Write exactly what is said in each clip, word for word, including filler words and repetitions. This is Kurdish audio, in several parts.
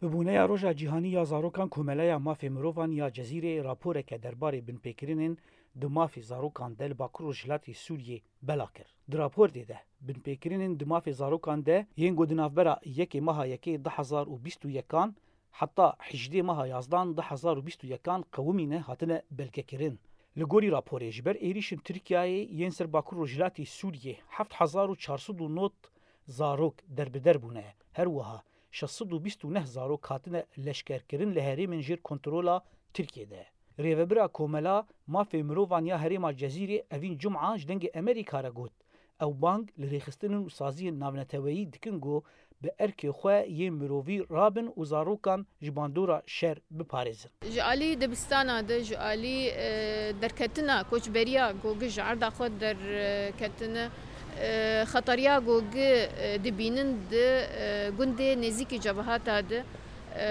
Bi bûneya Roja Cîhanî ya Zarokan, Komeleya Mafê Mirovan ya Cezîrê raporeke derbarê binpêkirinên di mafê zarokan de li Bakur Rojhilatê Sûriyê bela kir. Di raporê de, binpêkirinên di mafê zarokan de yên ku di navbera yekê meha yekê du hezar û bîst û yekan heta hejdê meha yazdan du hezar û bîst û yekan qewimîne hatine belgekirin. Li gorî raporê, ji ber êrîşên Tirkiyeyê yên ser Bakur Rojhilatê Sûriyê heft hezar û çar sed û nod zarok derbider bûne. Her wiha şeş sed û bîst û neh zarok hatine leşkerkirin li herêmên jêr kontrola Tirkiyê de. Rêvebira Komela Mafê Mirovan ya Herêma Cezîrê Evîn Cuma ji Dengê Emerîka re got, ew bang li rêxistinên û saziyên navneteweyî dikin ku bi erkê xwe yên mirovî rabin û zarokan ji bandora şer biparêzin. Ji alî dibistana de, ji alî, e, derketina koçberiya ku ji erda xwe derketine, e, xetariya ku, e, dibînin di, e, gundê nêzîkî cebehata de, e,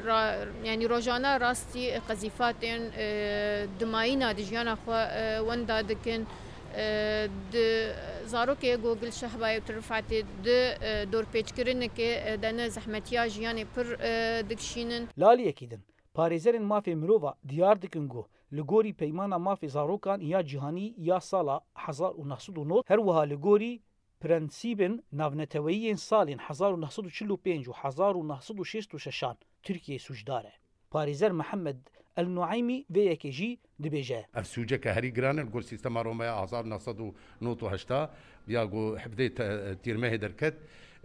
ra-, yanî rojane rastî qezîfatên, e, dimayîna di jiyana xwe, e, wenda dikin. E, di zarokê ku li Şehbayê û Tirifetê di, e, dorpêçkirinekê, e, de ne zehmetiya jiyanê pir, e, dikişînin. Li aliyekî din, parêzerên mafê mirova diyar dikin ku li gorî Peymana Mafê Zarokan ya Cîhanî ya sala hezar û neh sed û nod, her wiha li gorî prensîbên navneteweyî yên salên hezar û neh sed û çil û pênc û hezar û neh sed û şêst û şeşan Tirkiye sûcdar e. Parêzer Mihemed El Nueymî vê yekê jî dibêje. Ev sûceke herî giran e li gor sîstema Romaya hezar û neh sed û nod û heşt a, ya ku hevdê te-, tîrmehê derket.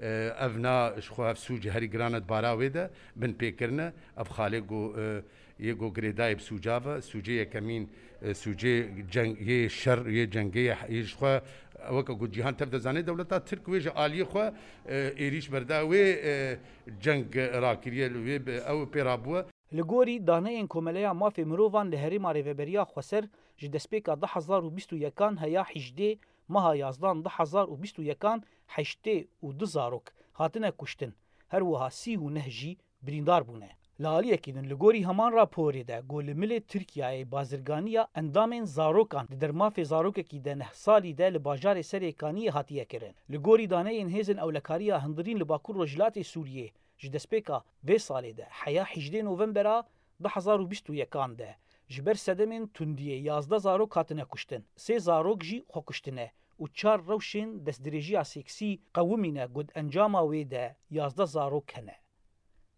E, ev na ji xwe ev sûc herî giran e di bara wê de, binpêkirin e. Ev xalê ku, e, yê ku girêdayê bi sûca ve, sûcê yekemîn, e, sûcê ceng, yê şer, yê cengê, yê ji xwe, weke ku cîhan tev dizane, dewleta Tirk wê ji aliyê xwe, e, êrîş berda wê, e, ceng rakiriye, li wê bi, ew pê rabûye. Li gorî daneyên Komeleya Mafê Mirovan li Herêma Rêveberiya Xweser, ji destpêka du hezar û bîst û yekan heya hejdê meha yazdan du hezar û bîst û yekan heştê û du zarok hatine kuştin, her wiha sî û neh jî birîndar bûne. Li aliyekî din, li gorî heman raporê de ku li milê Tirkiyeyê bazirganiya endamên zarokan di dermafê zarokekî de neh salî de li bajarê Serê Kaniyê hatiye kirin. Li gorî daneyên Hêzên Ewlekariya Hundirîn li Bakur Rojhilatê Sûriyê, ji destpêka vê salê de heya hejdê novembera du hezar û bîst û yekan de ji ber sedemên tundiyê yazdeh zarok hatine kuştin, sê zarok jî xwe kuştine û çar rewşên destdirêjiya seksî qewimîne ku di encama wê de yazdeh zarok hene.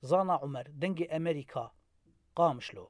Zana Umer, Dengê Emerîka, Qamişlo.